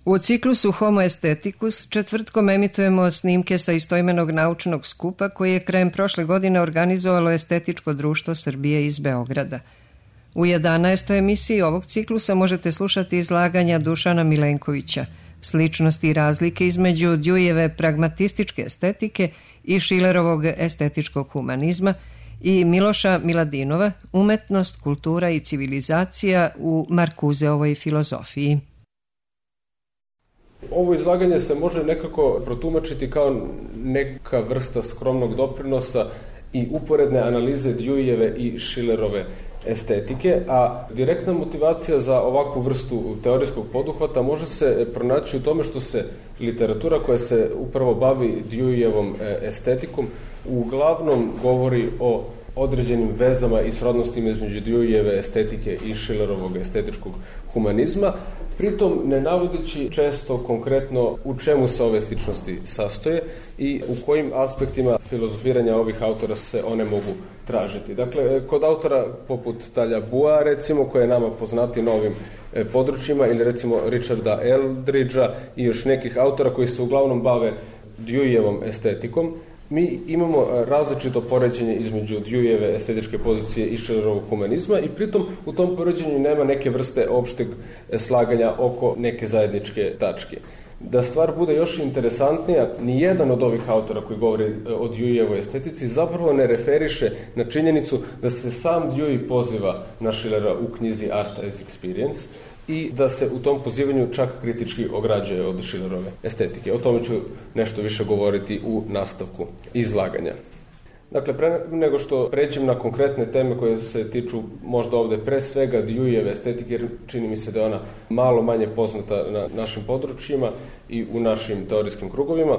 U ciklusu Homo Aestheticus četvrtkom emitujemo snimke sa istoimenog naučnog skupa koji je krajem prošle godine organizovalo Estetičko društvo Srbije iz Beograda. U 11. emisiji ovog ciklusa možete slušati izlaganja Dušana Milenkovića, sličnosti i razlike između Deweyjeve pragmatističke estetike i Schillerovog estetičkog humanizma i Miloša Miladinova, umetnost, kultura i civilizacija u Markuzeovoj filozofiji. Ovo izlaganje se može nekako protumačiti kao neka vrsta skromnog doprinosa i uporedne analize Deweyjeve i Schillerove estetike, a direktna motivacija za ovakvu vrstu teorijskog poduhvata može se pronaći u tome što se literatura koja se upravo bavi Deweyjevom estetikom uglavnom govori o određenim vezama i srodnostima između Deweyjeve estetike i Schillerovog estetičkog humanizma, pritom ne navodeći često konkretno u čemu se ove sličnosti sastoje i u kojim aspektima filozofiranja ovih autora se one mogu tražiti. Dakle, kod autora poput Taljaboua, recimo, koji je nama poznati na ovim područjima, ili recimo Richarda Eldridgea i još nekih autora koji se uglavnom bave Deweyjevom estetikom, mi imamo različito poređenje između Deweyjeve estetičke pozicije i Schillerovog humanizma i pritom u tom poređenju nema neke vrste opšteg slaganja oko neke zajedničke tačke. Da stvar bude još interesantnija, nijedan od ovih autora koji govori o Deweyjevoj estetici zapravo ne referiše na činjenicu da se sam Dewey poziva na Schillera u knjizi Art as Experience i da se u tom pozivanju čak kritički ograđuje od Schillerove estetike. O tome ću nešto više govoriti u nastavku izlaganja. Dakle, pre nego što pređem na konkretne teme koje se tiču možda ovde pre svega Deweyjeve estetike, jer čini mi se da je ona malo manje poznata na našim područjima i u našim teorijskim krugovima,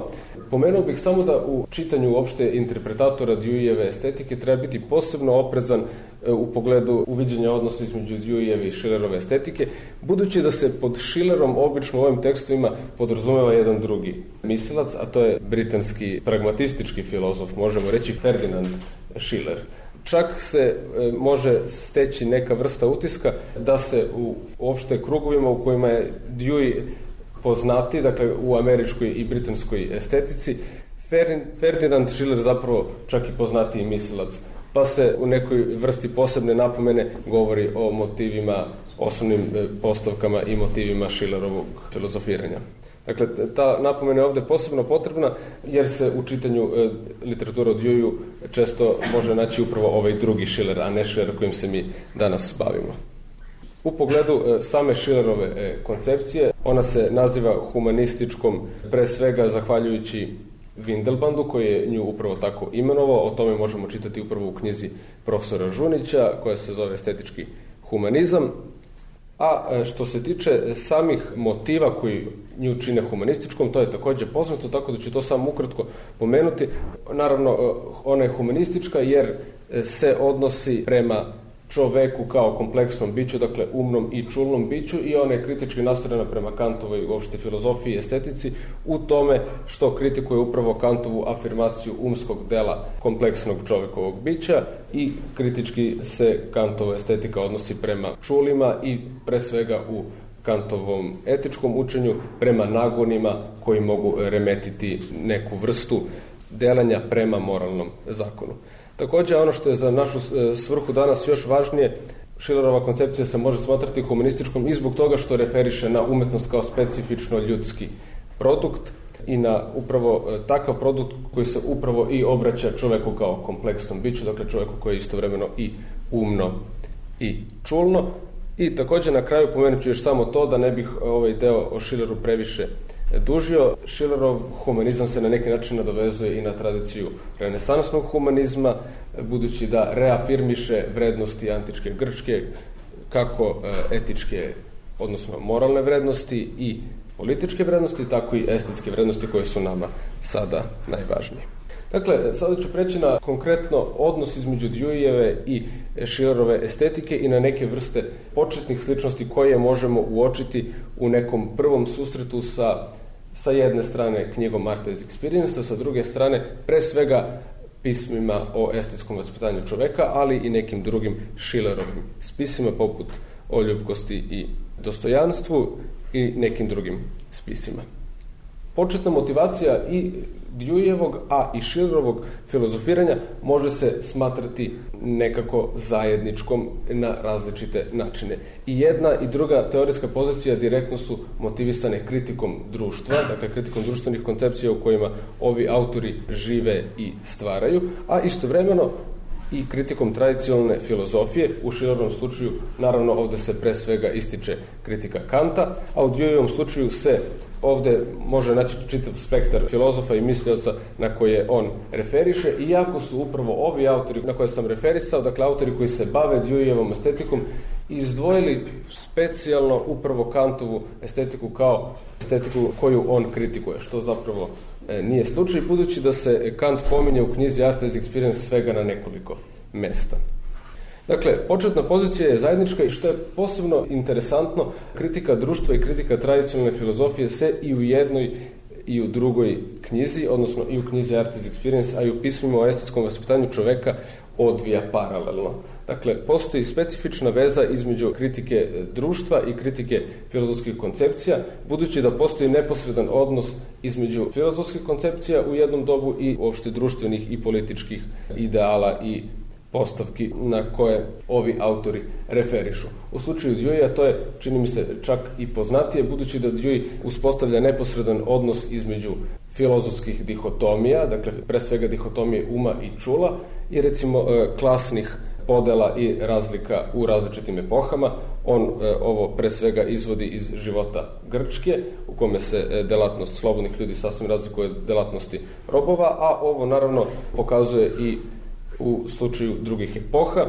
pomenuo bih samo da u čitanju uopšte interpretatora Deweyjeve estetike treba biti posebno oprezan u pogledu uviđenja odnosa između Deweyjeve i Schillerove estetike, budući da se pod Schillerom obično u ovim tekstovima podrazumeva jedan drugi mislilac, a to je britanski pragmatistički filozof, možemo reći Ferdinand Schiller. Čak se može steći neka vrsta utiska da se u uopšte krugovima u kojima je Dewey poznati, dakle u američkoj i britanskoj estetici, Ferdinand Schiller zapravo čak i poznatiji mislilac, pa se u nekoj vrsti posebne napomene govori o motivima, osnovnim postavkama i motivima Schillerovog filozofiranja. Dakle, ta napomena je ovde posebno potrebna jer se u čitanju literature o Deweyu često može naći upravo ovaj drugi Schiller, a ne Schiller kojim se mi danas bavimo. U pogledu same Schillerove koncepcije, ona se naziva humanističkom pre svega zahvaljujući Windelbandu, koji je nju upravo tako imenovao. O tome možemo čitati upravo u knjizi profesora Žunića, koja se zove Estetički humanizam. A što se tiče samih motiva koji nju čine humanističkom, to je također poznato, tako da ću to samo ukratko pomenuti. Naravno, ona je humanistička jer se odnosi prema čoveku kao kompleksnom biću, dakle umnom i čulnom biću, i ona je kritički nastrojena prema Kantovoj uopšte filozofiji i estetici u tome što kritikuje upravo Kantovu afirmaciju umskog dela kompleksnog čovekovog bića i kritički se Kantova estetika odnosi prema čulima i pre svega u Kantovom etičkom učenju prema nagonima koji mogu remetiti neku vrstu delanja prema moralnom zakonu. Također, ono što je za našu svrhu danas još važnije, Schillerova koncepcija se može smatrati humanističkom i zbog toga što referiše na umetnost kao specifično ljudski produkt i na upravo takav produkt koji se upravo i obraća čoveku kao kompleksnom biću, dakle čoveku koji je istovremeno i umno i čulno. I također na kraju pomenut ću još samo to da ne bih ovaj deo o Schilleru previše dužio. Schillerov humanizam se na neki način nadovezuje i na tradiciju renesansnog humanizma, budući da reafirmiše vrednosti antičke Grčke, kako etičke, odnosno moralne vrednosti i političke vrednosti, tako i estetske vrednosti koje su nama sada najvažnije. Dakle, sada ću preći na konkretno odnos između Deweyjeve i Schillerove estetike i na neke vrste početnih sličnosti koje možemo uočiti u nekom prvom susretu sa jedne strane knjigom Art as Experience, sa druge strane pre svega pismima o estetskom vaspitanju čoveka, ali i nekim drugim Schillerovim spisima poput o ljubkosti i dostojanstvu i nekim drugim spisima. spisima. Početna motivacija i Deweyevog, a i Schillerovog filozofiranja može se smatrati nekako zajedničkom na različite načine. I jedna i druga teorijska pozicija direktno su motivisane kritikom društva, dakle kritikom društvenih koncepcija u kojima ovi autori žive i stvaraju, a istovremeno i kritikom tradicionalne filozofije. U Schillerovom slučaju, naravno, ovdje se pre svega ističe kritika Kanta, a u Deweyevom slučaju se ovdje može naći čitav spektar filozofa i mislioca na koje on referiše, iako su upravo ovi autori na koje sam referisao, dakle autori koji se bave Deweyevom estetikom, izdvojili specijalno upravo Kantovu estetiku kao estetiku koju on kritikuje, što zapravo nije slučaj, budući da se Kant pominje u knjizi Art as Experience svega na nekoliko mesta. Dakle, početna pozicija je zajednička i što je posebno interesantno, kritika društva i kritika tradicionalne filozofije se i u jednoj i u drugoj knjizi, odnosno i u knjizi Art as Experience, a i u pismima o estetskom vaspitanju čoveka odvija paralelno. Dakle, postoji specifična veza između kritike društva i kritike filozofskih koncepcija, budući da postoji neposredan odnos između filozofskih koncepcija u jednom dobu i uopšte društvenih i političkih ideala i postavki na koje ovi autori referišu. U slučaju Deweya to je, čini mi se, čak i poznatije, budući da Dewey uspostavlja neposredan odnos između filozofskih dihotomija, dakle pre svega dihotomije uma i čula, i recimo klasnih podela i razlika u različitim epohama. On ovo pre svega izvodi iz života Grčke, u kome se delatnost slobodnih ljudi sasvim razlikuje od delatnosti robova, a ovo naravno pokazuje i u slučaju drugih epoha.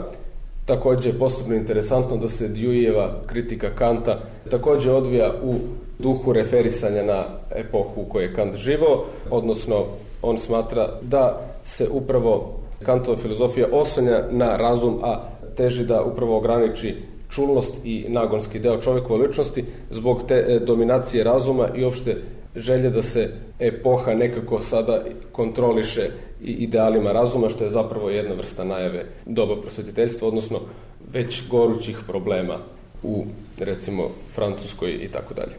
Također je posebno interesantno da se Deweyeva kritika Kanta također odvija u duhu referisanja na epohu u kojoj je Kant živao, odnosno on smatra da se upravo Kantova filozofija oslanja na razum, a teži da upravo ograniči čulnost i nagonski deo čovjekove ličnosti zbog te dominacije razuma i opšte želje da se epoha nekako sada kontroliše i idealima razuma, što je zapravo jedna vrsta najave doba prosvetiteljstva, odnosno već gorućih problema u, recimo, Francuskoj i tako dalje.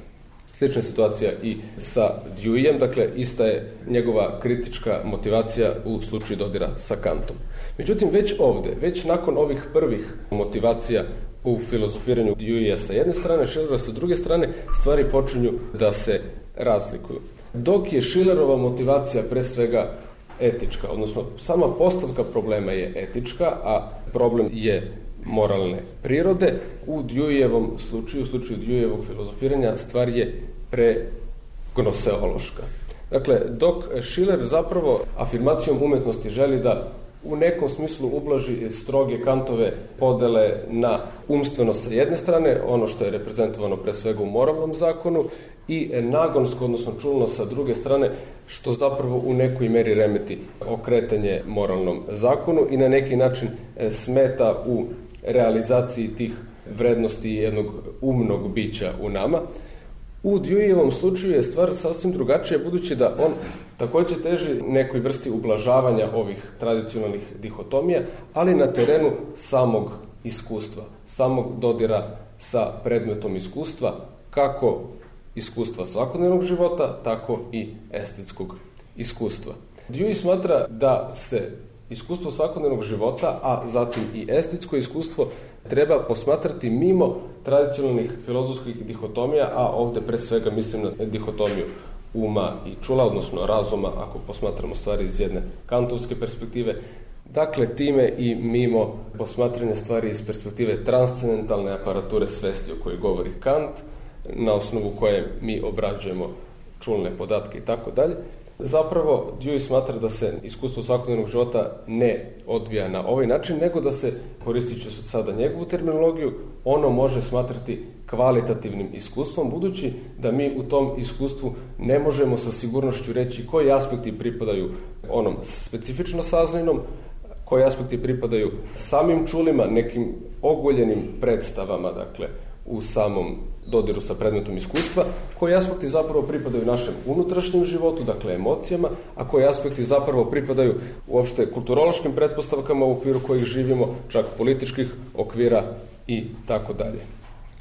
Slična situacija i sa Deweyem, dakle, ista je njegova kritička motivacija u slučaju dodira sa Kantom. Međutim, već ovdje, već nakon ovih prvih motivacija u filozofiranju Deweya sa jedne strane, Schillera sa druge strane, stvari počinju da se razlikuju. Dok je Schillerova motivacija pre svega etička, odnosno sama postavka problema je etička, a problem je moralne prirode, u Deweyevom slučaju, u slučaju Deweyevog filozofiranja, stvar je pregnoseološka. Dakle, dok Schiller zapravo afirmacijom umetnosti želi da u nekom smislu ublaži stroge Kantove podele na umstvenost sa jedne strane, ono što je reprezentovano pre svega u moralnom zakonu, i nagonsko, odnosno čulno sa druge strane, što zapravo u nekoj meri remeti okretanje moralnom zakonu i na neki način smeta u realizaciji tih vrednosti jednog umnog bića u nama. U Deweyevom slučaju je stvar sasvim drugačija, budući da on također teži nekoj vrsti ublažavanja ovih tradicionalnih dihotomija, ali na terenu samog iskustva, samog dodira sa predmetom iskustva, kako iskustva svakodnevnog života, tako i estetskog iskustva. Dewey smatra da se iskustvo svakodnevnog života, a zatim i estetsko iskustvo, treba posmatrati mimo tradicionalnih filozofskih dihotomija, a ovdje pre svega mislim na dihotomiju uma i čula, odnosno razuma, ako posmatramo stvari iz jedne kantovske perspektive. Dakle, time i mimo posmatranja stvari iz perspektive transcendentalne aparature svesti o kojoj govori Kant, na osnovu koje mi obrađujemo čulne podatke i tako dalje. Zapravo, Dewey smatra da se iskustvo svakodnevnog života ne odvija na ovaj način, nego da se, koristit ću sada njegovu terminologiju, ono može smatrati kvalitativnim iskustvom, budući da mi u tom iskustvu ne možemo sa sigurnošću reći koji aspekti pripadaju onom specifično saznajnom, koji aspekti pripadaju samim čulima, nekim ogoljenim predstavama, dakle, u samom dodiru sa predmetom iskustva, koji aspekti zapravo pripadaju našem unutrašnjem životu, dakle emocijama, a koji aspekti zapravo pripadaju uopšte kulturološkim pretpostavkama u okviru kojih živimo, čak političkih okvira i tako dalje.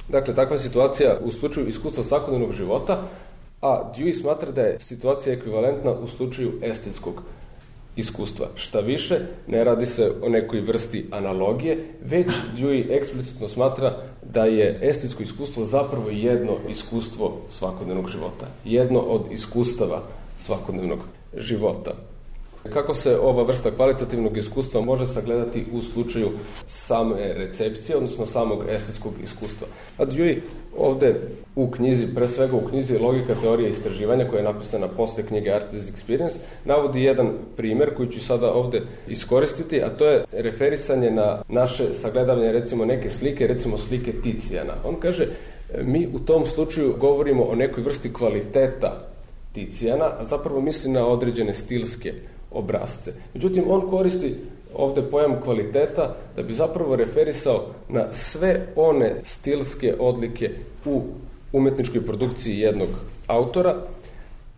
Dakle, takva situacija u slučaju iskustva svakodnevnog života a Dewey smatra da je situacija ekvivalentna u slučaju estetskog iskustva. Šta više, ne radi se o nekoj vrsti analogije, već Dewey eksplicitno smatra da je estetsko iskustvo zapravo jedno iskustvo svakodnevnog života. Jedno od iskustava svakodnevnog života. Kako se ova vrsta kvalitativnog iskustva može sagledati u slučaju same recepcije, odnosno samog estetskog iskustva? A Dewey ovde u knjizi, pre svega u knjizi Logika teorije istraživanja, koja je napisana posle knjige Art as Experience, navodi jedan primer koji ću sada ovde iskoristiti, a to je referisanje na naše sagledavanje, recimo neke slike, recimo slike Ticijana. On kaže, mi u tom slučaju govorimo o nekoj vrsti kvaliteta Ticijana, a zapravo misli na određene stilske obrazce. Međutim, on koristi ovde pojam kvaliteta da bi zapravo referisao na sve one stilske odlike u umetničkoj produkciji jednog autora,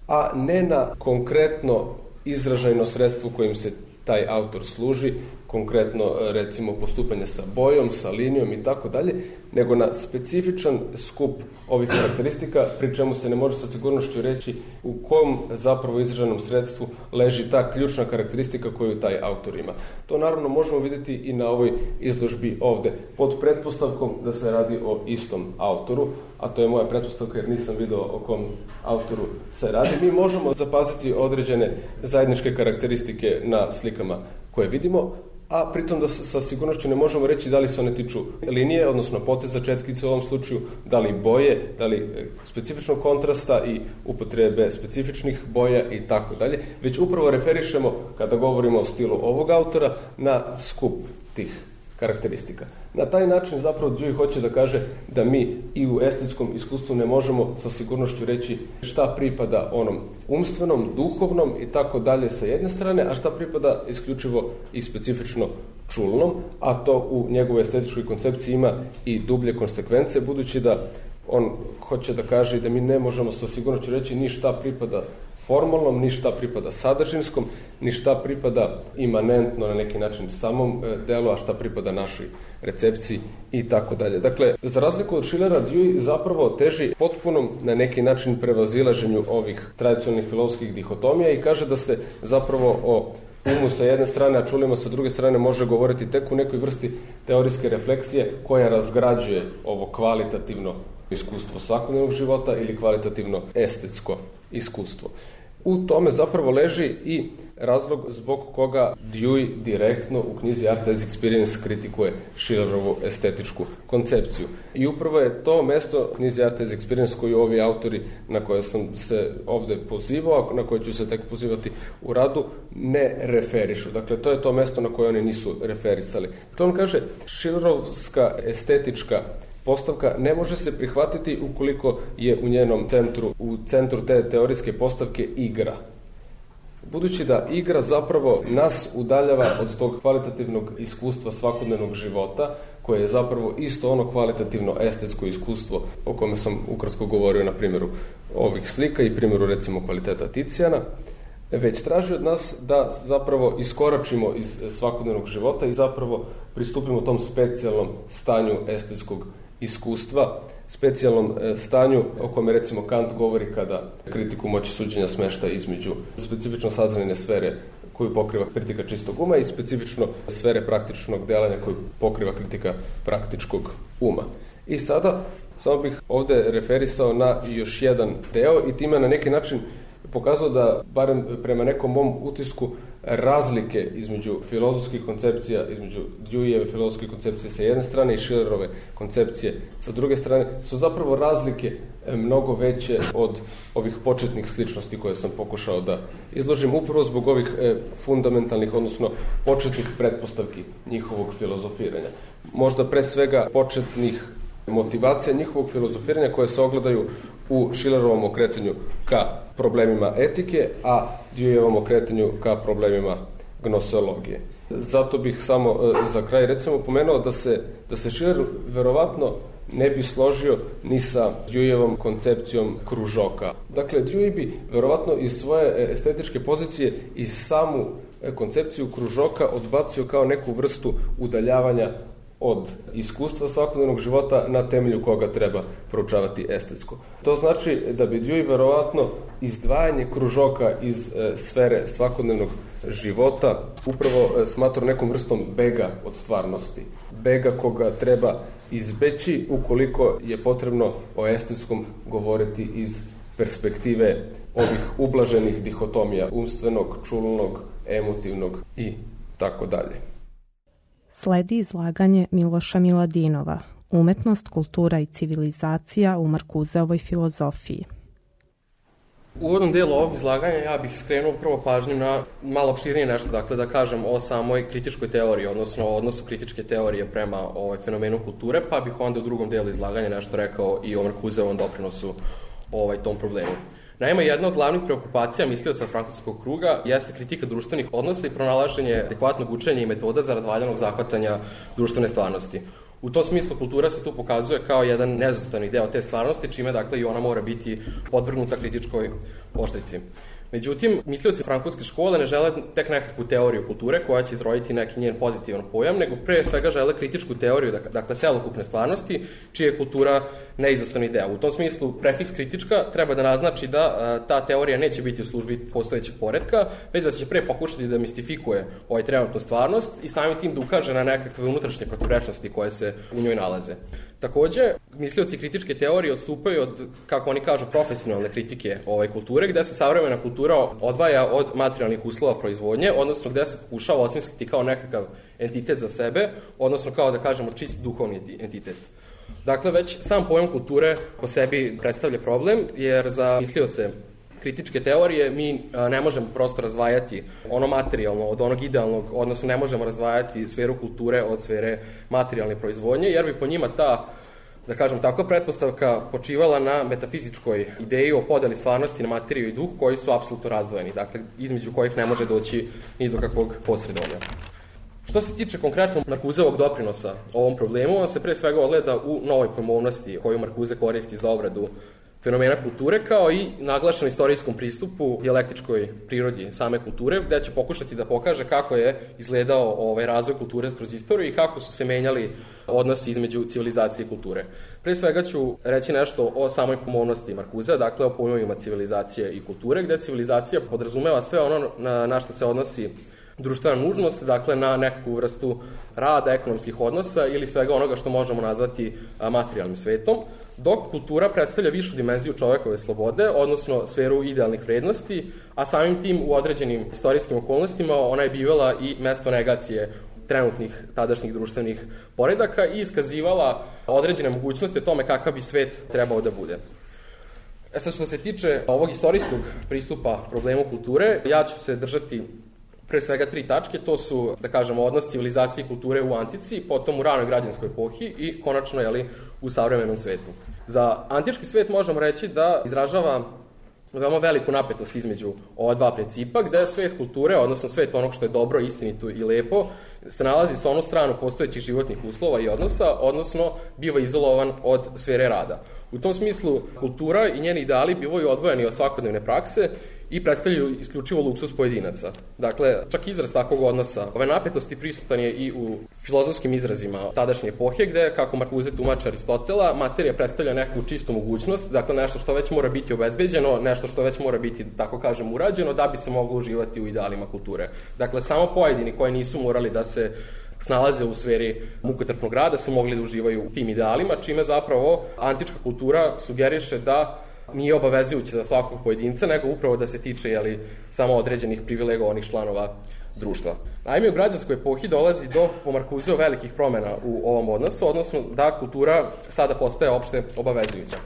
a ne na konkretno izražajno sredstvo kojim se taj autor služi, konkretno recimo postupanje sa bojom, sa linijom i tako dalje, nego na specifičan skup ovih karakteristika, pri čemu se ne može sa sigurnošću reći u kom zapravo izraženom sredstvu leži ta ključna karakteristika koju taj autor ima. To naravno možemo vidjeti i na ovoj izložbi ovde, pod pretpostavkom da se radi o istom autoru, a to je moja pretpostavka jer nisam video o kom autoru se radi. Mi možemo zapaziti određene zajedničke karakteristike na slikama koje vidimo, a pritom da sa sigurnošću ne možemo reći da li se one tiču linije, odnosno poteza četkice u ovom slučaju, da li boje, da li specifičnog kontrasta i upotrebe specifičnih boja i tako dalje, već upravo referišemo, kada govorimo o stilu ovog autora, na skup tih karakteristika. Na taj način zapravo Dewey hoće da kaže da mi i u estetskom iskustvu ne možemo sa sigurnošću reći šta pripada onom umstvenom, duhovnom i tako dalje sa jedne strane, a šta pripada isključivo i specifično čulnom, a to u njegovoj estetičkoj koncepciji ima i dublje konsekvence, budući da on hoće da kaže da mi ne možemo sa sigurnošću reći ni šta pripada formalnom, ni šta pripada sadržinskom, ni šta pripada imanentno na neki način samom delu, a šta pripada našoj recepciji i tako dalje. Dakle, za razliku od Schillera, Dewey zapravo teži potpunom na neki način prevazilaženju ovih tradicionalnih filozofskih dihotomija i kaže da se zapravo o umu sa jedne strane, a čulima sa druge strane može govoriti tek u nekoj vrsti teorijske refleksije koja razgrađuje ovo kvalitativno iskustvo svakodnevnog života ili kvalitativno estetsko iskustvo. U tome zapravo leži i razlog zbog koga Dewey direktno u knjizi Art as Experience kritikuje Schillerovu estetičku koncepciju. I upravo je to mesto knjizi Art as Experience koju ovi autori na koje sam se ovde pozivao, na koje ću se tek pozivati u radu, ne referišu. Dakle, to je to mesto na koje oni nisu referisali. To on kaže, Schillerovska estetička postavka ne može se prihvatiti ukoliko je u njenom centru, u centru te teorijske postavke igra. Budući da igra zapravo nas udaljava od tog kvalitativnog iskustva svakodnevnog života, koje je zapravo isto ono kvalitativno estetsko iskustvo o kome sam ukratko govorio na primjeru ovih slika i primjeru recimo kvaliteta Ticijana, već traži od nas da zapravo iskoračimo iz svakodnevnog života i zapravo pristupimo tom specijalnom stanju estetskog iskustva, specijalnom stanju o kome recimo Kant govori kada kritiku moći suđenja smešta između specifično saznane sfere koju pokriva kritika čistog uma i specifično sfere praktičnog delanja koju pokriva kritika praktičkog uma. I sada samo bih ovde referisao na još jedan deo i time na neki način pokazao da, barem prema nekom mom utisku, razlike između filozofskih koncepcija, između Deweyjeve filozofske koncepcije sa jedne strane i Schillerove koncepcije sa druge strane, su zapravo razlike mnogo veće od ovih početnih sličnosti koje sam pokušao da izložim, upravo zbog ovih fundamentalnih, odnosno početnih pretpostavki njihovog filozofiranja. Možda pre svega početnih motivacija njihovog filozofiranja koje se ogledaju u Schillerovom okretanju ka problemima etike, a Deweyovom okretanju ka problemima gnoseologije. Zato bih samo za kraj recimo pomenuo da se Schiller verovatno ne bi složio ni sa Deweyovom koncepcijom kružoka. Dakle, Dewey bi verovatno iz svoje estetičke pozicije i samu koncepciju kružoka odbacio kao neku vrstu udaljavanja od iskustva svakodnevnog života na temelju koga treba proučavati estetsko. To znači da bi Dewey verovatno izdvajanje kružoka iz sfere svakodnevnog života upravo smatrao nekom vrstom bega od stvarnosti. Bega koga treba izbeći ukoliko je potrebno o estetskom govoriti iz perspektive ovih ublaženih dihotomija, umstvenog, čulnog, emotivnog i tako dalje. Sledi izlaganje Miloša Miladinova, Umetnost, kultura i civilizacija u Markuzeovoj filozofiji. U uvodnom delu ovog izlaganja ja bih skrenuo prvo pažnju na malo opširnije nešto, dakle da kažem o samoj kritičkoj teoriji, odnosno odnosu kritičke teorije prema fenomenu kulture, pa bih onda u drugom delu izlaganja nešto rekao i o Markuzeovom doprinosu tom problemu. Naime, jedna od glavnih preokupacija mislioca frankfurtskog kruga jeste kritika društvenih odnosa i pronalaženje adekvatnog učenja i metoda za valjanog zahvatanja društvene stvarnosti. U tom smislu kultura se tu pokazuje kao jedan neizostavni deo te stvarnosti, čime dakle i ona mora biti podvrgnuta kritičkoj oštrici. Međutim, mislioci frankfurtske škole ne žele tek nekakvu teoriju kulture koja će izroditi neki njen pozitivan pojam, nego pre svega žele kritičku teoriju, dakle celokupne stvarnosti, čija je kultura neizostavni deo. U tom smislu, prefiks kritička treba da naznači da ta teorija neće biti u službi postojećeg poretka, već da će pre pokušati da mistifikuje trenutnu stvarnost i samim tim da ukaže na nekakve unutrašnje protivrečnosti koje se u njoj nalaze. Takođe, mislioci kritičke teorije odstupaju od, kako oni kažu, profesionalne kritike kulture, gde se savremena kultura odvaja od materijalnih uslova proizvodnje, odnosno gde se pokušava osmisliti kao nekakav entitet za sebe, odnosno kao da kažemo čist duhovni entitet. Dakle, već sam pojam kulture po sebi predstavlja problem, jer za mislioce kritičke teorije mi ne možemo prosto razdvajati ono materijalno od onog idealnog, odnosno ne možemo razdvajati sferu kulture od sfere materijalne proizvodnje, jer bi po njima ta, da kažem, takva pretpostavka počivala na metafizičkoj ideji o podeli stvarnosti na materiju i duh koji su apsolutno razdvojeni, dakle, između kojih ne može doći ni do kakvog posredovanja. Što se tiče konkretno Markuzeovog doprinosa ovom problemu, on se pre svega ogleda u novoj pojmovnosti koju Markuze koristi za obradu fenomena kulture, kao i naglašen istorijskom pristupu dijalektičkoj prirodi same kulture, gde će pokušati da pokaže kako je izgledao razvoj kulture kroz istoriju i kako su se menjali odnosi između civilizacije i kulture. Pre svega ću reći nešto o samoj pojmovnosti Markuzea, dakle o pojmovima civilizacije i kulture, gde civilizacija podrazumeva sve ono na što se odnosi društvena nužnost, dakle na nekakvu vrstu rada, ekonomskih odnosa ili svega onoga što možemo nazvati materijalnim svetom, dok kultura predstavlja višu dimenziju čovekove slobode, odnosno sferu idealnih vrednosti, a samim tim u određenim istorijskim okolnostima ona je bivala i mesto negacije trenutnih tadašnjih društvenih poredaka i iskazivala određene mogućnosti o tome kakav bi svet trebao da bude. Sad, što se tiče ovog istorijskog pristupa problemu kulture, ja ću se držati pre svega 3 tačke, to su, da kažemo, odnos civilizacije i kulture u antici, potom u ranoj građanskoj epohi i konačno, u savremenom svetu. Za antički svet možemo reći da izražava veoma veliku napetost između ova dva principa, gde svet kulture, odnosno svet onog što je dobro, istinito i lepo, se nalazi sa onu stranu postojećih životnih uslova i odnosa, odnosno biva izolovan od sfere rada. U tom smislu, kultura i njeni ideali bivaju odvojeni od svakodnevne prakse i predstavljaju isključivo luksuz pojedinaca. Dakle, čak izraz takvog odnosa, ove napetosti prisutan je i u filozofskim izrazima tadašnje epohe, gde, kako Markuze tumači Aristotela, materija predstavlja neku čistu mogućnost, dakle nešto što već mora biti obezbeđeno, nešto što već mora biti, tako kažem, urađeno, da bi se moglo uživati u idealima kulture. Dakle, samo pojedini koji nisu morali da se snalaze u sferi mukotrpnog rada su mogli da uživaju u tim idealima, čime zapravo antička kultura sugeriše da nije obavezujuće za svakog pojedinca, nego upravo da se tiče samo određenih privilegovanih članova društva. Naime, u građanskoj epohi dolazi do, po Markuzeu, velikih promena u ovom odnosu, odnosno da kultura sada postaje opšte obavezujuća.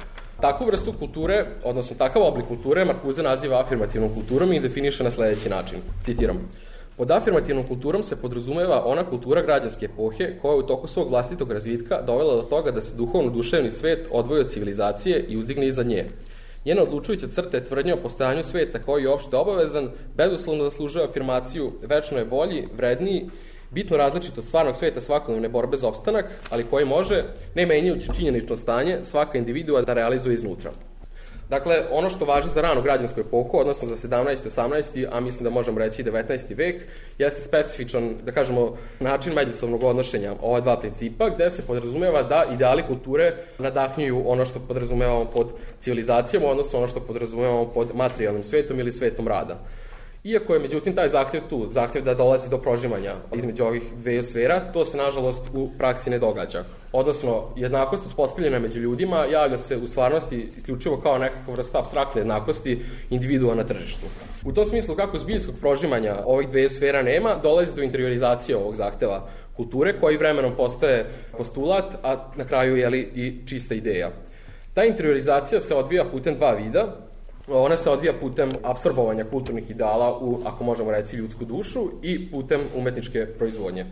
Takvu vrstu kulture, odnosno takav oblik kulture, Markuze naziva afirmativnom kulturom i definiše na sledeći način. Citiram: pod afirmativnom kulturom se podrazumeva ona kultura građanske epohe koja je u toku svog vlastitog razvitka dovela do toga da se duhovno-duševni svet odvoji od civilizacije i uzdigne iza nje. Njena odlučujuća crta je tvrdnja o postojanju sveta koji je opšte obavezan, bezuslovno zaslužuje afirmaciju, večno je bolji, vredniji, bitno različit od stvarnog sveta svakodnevne borbe za opstanak, ali koji može, ne menjajući činjenično stanje, svaka individua da realizuje iznutra. Dakle, ono što važi za ranu građansku epohu, odnosno za 17. 18. a mislim da možemo reći i 19. vek, jeste specifičan, da kažemo, način međusobnog odnošenja ova dva principa, gde se podrazumeva da ideali kulture nadahnjuju ono što podrazumevamo pod civilizacijom, odnosno ono što podrazumevamo pod materijalnim svetom ili svetom rada. Iako je, međutim, taj zahtev tu, zahtev da dolazi do prožimanja između ovih dveju sfera, to se, nažalost, u praksi ne događa. Odnosno, jednakost uspostavljena među ljudima javlja se u stvarnosti isključivo kao nekakva vrsta apstraktne jednakosti individua na tržištu. U tom smislu, kako zbiljskog prožimanja ovih dveju sfera nema, dolazi do interiorizacije ovog zahteva kulture, koji vremenom postaje postulat, a na kraju je i čista ideja. Ta interiorizacija se odvija putem dva vida. Ona se odvija putem apsorbovanja kulturnih ideala u, ako možemo reći, ljudsku dušu i putem umetničke proizvodnje.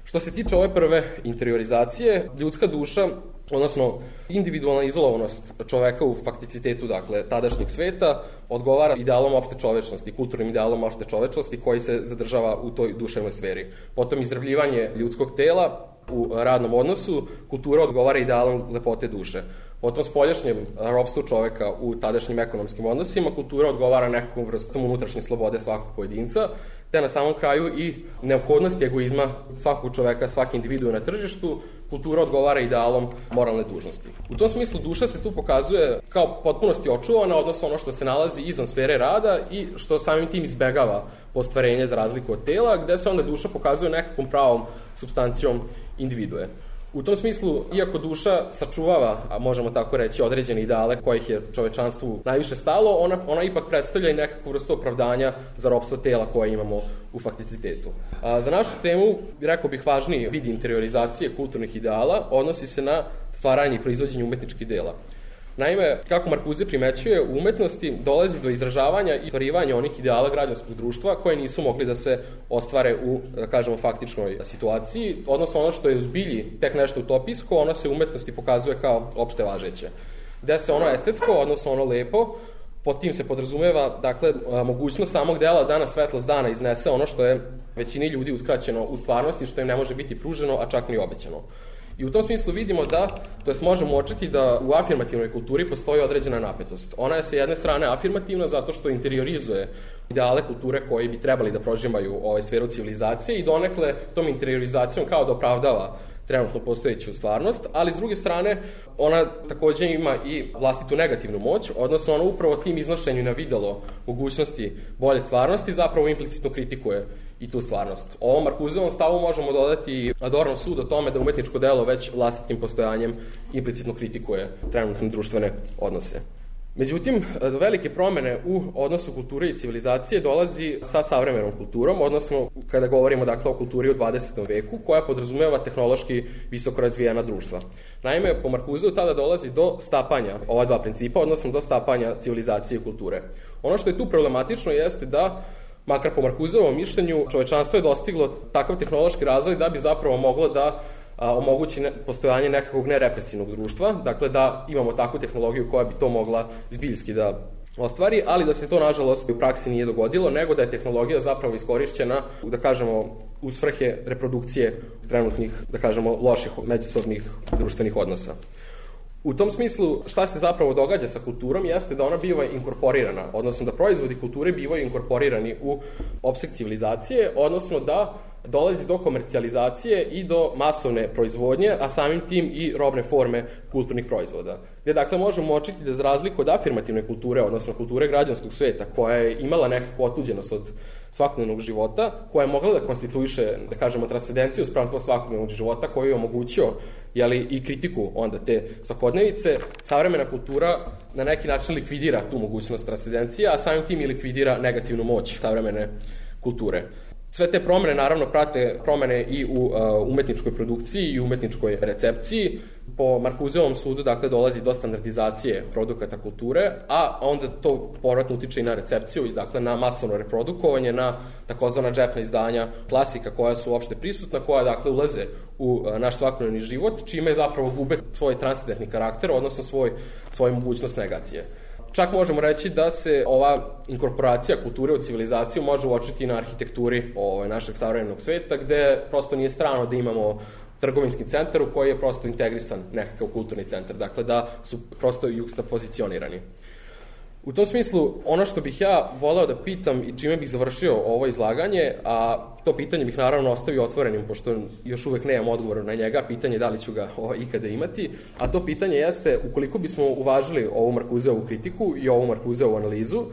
Što se tiče ove prve interiorizacije, ljudska duša, odnosno individualna izolovanost čoveka u fakticitetu, dakle, tadašnjeg sveta, odgovara idealom opšte čovečnosti, kulturnim idealom opšte čovečnosti koji se zadržava u toj duševnoj sferi. Potom izrabljivanje ljudskog tela u radnom odnosu, kultura odgovara idealom lepote duše. Potom spoljašnjem ropstvu čoveka u tadašnjim ekonomskim odnosima, kultura odgovara nekakvom vrstom unutrašnje slobode svakog pojedinca, te na samom kraju i neophodnosti egoizma svakog čoveka, svaki individu na tržištu, kultura odgovara idealom moralne dužnosti. U tom smislu duša se tu pokazuje kao potpunosti očuvana, odnosno ono što se nalazi izvan sfere rada i što samim tim izbegava ostvarenje za razliku od tela, gde se onda duša pokazuje nekakvom pravom supstancijom individue. U tom smislu, iako duša sačuvava, a možemo tako reći, određene ideale kojih je čovečanstvu najviše stalo, ona ipak predstavlja i nekakvu vrstu opravdanja za ropstvo tela koje imamo u fakticitetu. Za našu temu, rekao bih, važniji vid interiorizacije kulturnih ideala odnosi se na stvaranje i proizvođenje umetničkih dela. Naime, kako Marcuse primećuje, u umetnosti dolazi do izražavanja i stvarivanja onih ideala građanskog društva koje nisu mogli da se ostvare u, da kažemo, faktičnoj situaciji, odnosno ono što je u zbilji tek nešto utopijsko, ono se u umetnosti pokazuje kao opšte važeće. Gde se ono estetsko, odnosno ono lepo, pod tim se podrazumeva, dakle, mogućnost samog dela da na svetlost dana iznese ono što je većini ljudi uskraćeno u stvarnosti, što im ne može biti pruženo, a čak ni obećano. I u tom smislu vidimo da, to jest možemo uočiti da u afirmativnoj kulturi postoji određena napetost. Ona je sa jedne strane afirmativna zato što interiorizuje ideale kulture koji bi trebali da prožimaju sferu civilizacije i donekle tom interiorizacijom kao da opravdava trenutno postojeću stvarnost, ali s druge strane ona takođe ima i vlastitu negativnu moć, odnosno ona upravo tim iznošenju na videlo mogućnosti bolje stvarnosti zapravo implicitno kritikuje i tu stvarnost. Ovom Marcuseovom stavu možemo dodati Adornov sud o tome da umetničko delo već vlastitim postojanjem implicitno kritikuje trenutne društvene odnose. Međutim, do velike promene u odnosu kulture i civilizacije dolazi sa savremenom kulturom, odnosno kada govorimo, dakle, o kulturi u 20. veku, koja podrazumeva tehnološki visoko razvijena društva. Naime, po Marcuseu tada dolazi do stapanja ova dva principa, odnosno do stapanja civilizacije i kulture. Ono što je tu problematično jeste da, makar po Marcuseovom mišljenju, čovečanstvo je dostiglo takav tehnološki razvoj da bi zapravo moglo da omogući postojanje nekakvog nerepresivnog društva, dakle da imamo takvu tehnologiju koja bi to mogla zbiljski da ostvari, ali da se to, nažalost, u praksi nije dogodilo, nego da je tehnologija zapravo iskorišćena, da kažemo, u svrhe reprodukcije trenutnih, da kažemo, loših međusobnih društvenih odnosa. U tom smislu, šta se zapravo događa sa kulturom jeste da ona biva inkorporirana, odnosno da proizvodi kulture bivaju inkorporirani u opseg civilizacije, odnosno da dolazi do komercijalizacije i do masovne proizvodnje, a samim tim i robne forme kulturnih proizvoda. Gde, dakle, možemo očiti da za razliku od afirmativne kulture, odnosno kulture građanskog sveta, koja je imala nekakvu otuđenost od svakodnevnog života, koja je mogla da konstituiše, da kažemo, transcendenciju sprem to svakodnevnog života, koji je omogućio i kritiku onda te svakodnevice, savremena kultura na neki način likvidira tu mogućnost transcendencije, a samim tim i likvidira negativnu moć savremene kulture. Sve te promene, naravno, prate promene i u umetničkoj produkciji i umetničkoj recepciji. Po Marcuseovom sudu, dakle, dolazi do standardizacije produkata kulture, a onda to povratno utiče i na recepciju, dakle, na masovno reprodukovanje, na takozvana džepna izdanja klasika koja su uopšte prisutna, koja, dakle, ulaze u naš svakodnevni život, čime zapravo gube svoj transcendentni karakter, odnosno svoju mogućnost negacije. Čak možemo reći da se ova inkorporacija kulture u civilizaciju može uočiti na arhitekturi našeg savremenog sveta, gde prosto nije strano da imamo trgovinski centar u koji je prosto integrisan nekakav kulturni centar, dakle da su prosto juxtapozicionirani. U tom smislu, ono što bih ja voleo da pitam i čime bih završio ovo izlaganje, a to pitanje bih naravno ostavio otvorenim, pošto još uvek nemam odgovor na njega, pitanje da li ću ga ikada imati, a to pitanje jeste, ukoliko bismo uvažili ovu Marcuseovu kritiku i ovu Marcuseovu analizu,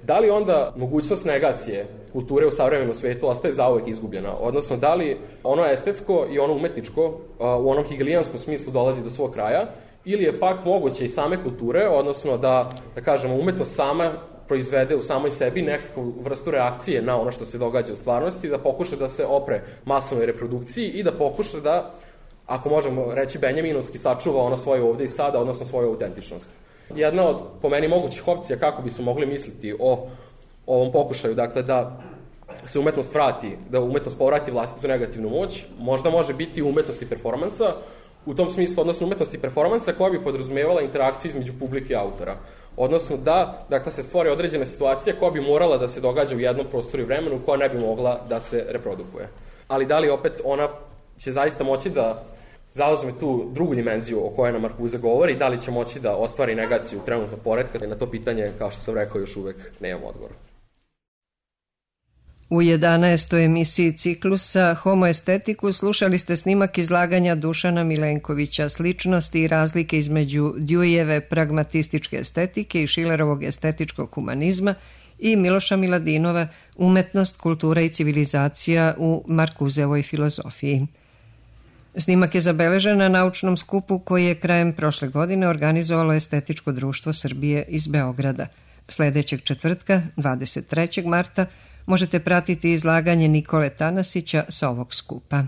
da li onda mogućnost negacije kulture u savremenom svetu ostaje zauvek izgubljena? Odnosno, da li ono estetsko i ono umetničko u onom hegelijanskom smislu dolazi do svog kraja, ili je pak moguće i same kulture, odnosno da kažemo, umetnost sama proizvede u samoj sebi nekakvu vrstu reakcije na ono što se događa u stvarnosti, da pokuša da se opre masovnoj reprodukciji i da pokuša da, ako možemo reći benjaminovski, sačuva ono svoje ovde i sada, odnosno svoju autentičnost. Jedna od, po meni, mogućih opcija kako bismo mogli misliti o ovom pokušaju, dakle, da se umetnost vrati, da umetnost povrati vlastitu negativnu moć, možda može biti umetnost i performansa, u tom smislu, odnosno umetnost i performansa koja bi podrazumevala interakciju između publike i autora. Odnosno da, dakle, se stvori određena situacija koja bi morala da se događa u jednom prostoru i vremenu, koja ne bi mogla da se reprodukuje. Ali da li opet ona će zaista moći da zauzme tu drugu dimenziju o kojoj nam Marcuse govori, da li će moći da ostvari negaciju trenutnog poretka, na to pitanje, kao što sam rekao, još uvek nemam odgovor. U 11. emisiji ciklusa Homo estetiku slušali ste snimak izlaganja Dušana Milenkovića, sličnosti i razlike između Deweyjeve pragmatističke estetike i Schillerovog estetičkog humanizma i Miloša Miladinova umetnost, kultura i civilizacija u Marcuseovoj filozofiji. Snimak je zabeležen na naučnom skupu koji je krajem prošle godine organizovalo Estetičko društvo Srbije iz Beograda. Sledećeg četvrtka, 23. marta, možete pratiti izlaganje Nikole Tanasića sa ovog skupa.